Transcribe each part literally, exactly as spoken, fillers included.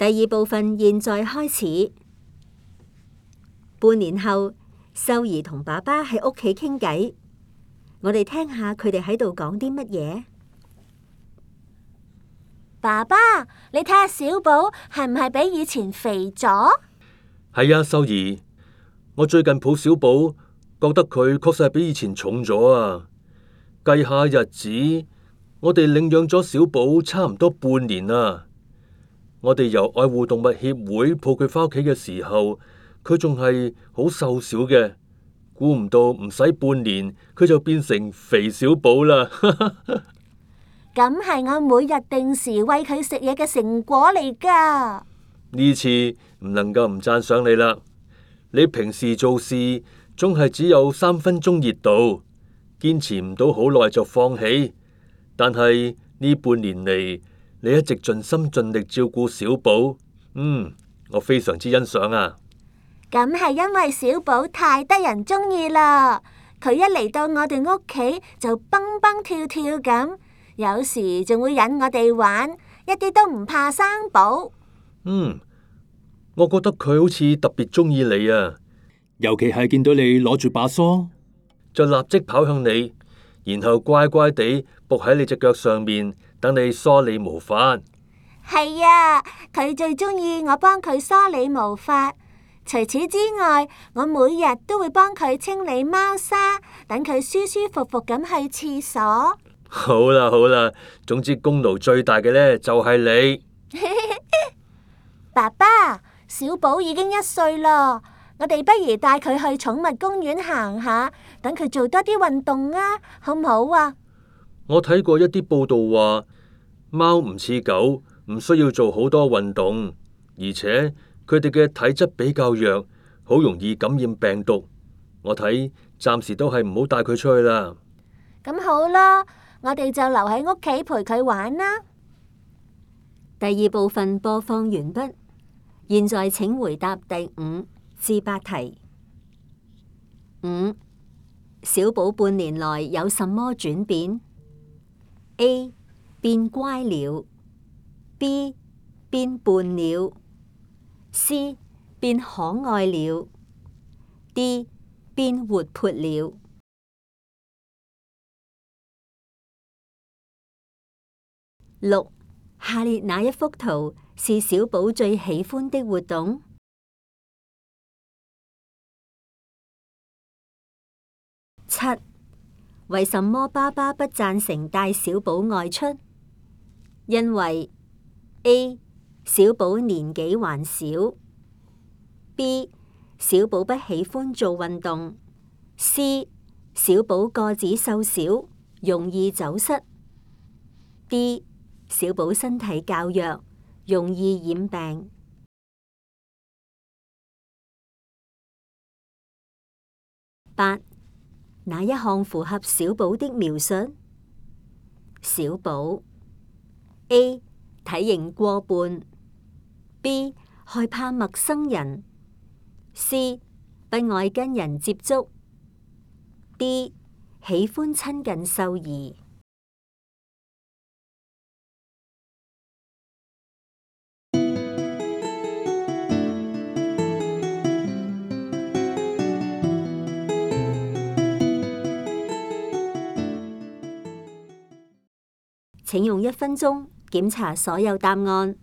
第二部分現在開始。半年後，秀兒同爸爸喺屋企傾偈，我哋聽下佢哋喺度講啲乜嘢。爸爸，你睇下小寶係唔係比以前肥咗？係啊，秀兒，我最近抱小寶，覺得佢確實係比以前重咗啊。計下日子，我哋領養咗小寶差唔多半年啦。我哋由愛護動物協會抱佢返屋企嘅時候，佢仲係好瘦小嘅，估唔到唔使半年，佢就變成肥小寶啦。咁係我每日定時餵佢食嘢嘅成果嚟噶。呢次唔能夠唔讚賞你啦。你平時做事總係只有三分鐘熱度，堅持唔到好耐就放棄。但係呢半年嚟，你一直盡心盡力照顧小寶，嗯，我非常之欣賞啊。咁係因為小寶太得人中意啦，佢一嚟到我哋屋企就蹦蹦跳跳咁，有時仲會引我哋玩，一啲都唔怕生寶。嗯，我覺得佢好似特別中意你啊，尤其係見到你攞住把梳，就立即跑向你，然後乖乖地伏喺你隻腳上面，等你梳理毛髮。係啊，佢最中意我幫佢梳理毛髮。除此之外，我每日都會幫佢清理貓砂，等佢舒舒服服咁去廁所。好啦好啦，總之功勞最大嘅呢就係你。爸爸，小寶已經一歲啦，我哋不如帶佢去寵物公園行下，等佢做多啲運動啊，好唔好啊？我睇過一啲報道話，貓唔似狗，唔需要做好多運動，而且佢哋嘅體質比較弱，好容易感染病毒。我睇暫時都係唔好帶佢出去啦。咁好啦，我哋就留喺屋企陪佢玩啦。第二部分播放完畢，現在請回答第五至八題。五、小寶半年來有什麼轉變？A. 變乖了。B. 變笨了。C. 變可愛了。D. 變活潑了。六、下列哪一幅圖是小寶最喜歡的活動？七、為什麼爸爸不贊成帶小寶外出？因為 A. 小寶年紀還小。B. 小寶不喜歡做運動。C. 小寶個子瘦小，容易走失。D. 小寶身體較弱，容易染病。八、哪一項符合小寶的描述？小寶 A. 體型過胖。B. 害怕陌生人。C. 不愛跟人接觸。D. 喜歡親近獸兒。請用一分鐘檢查所有答案。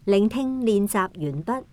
聆聽練習完畢。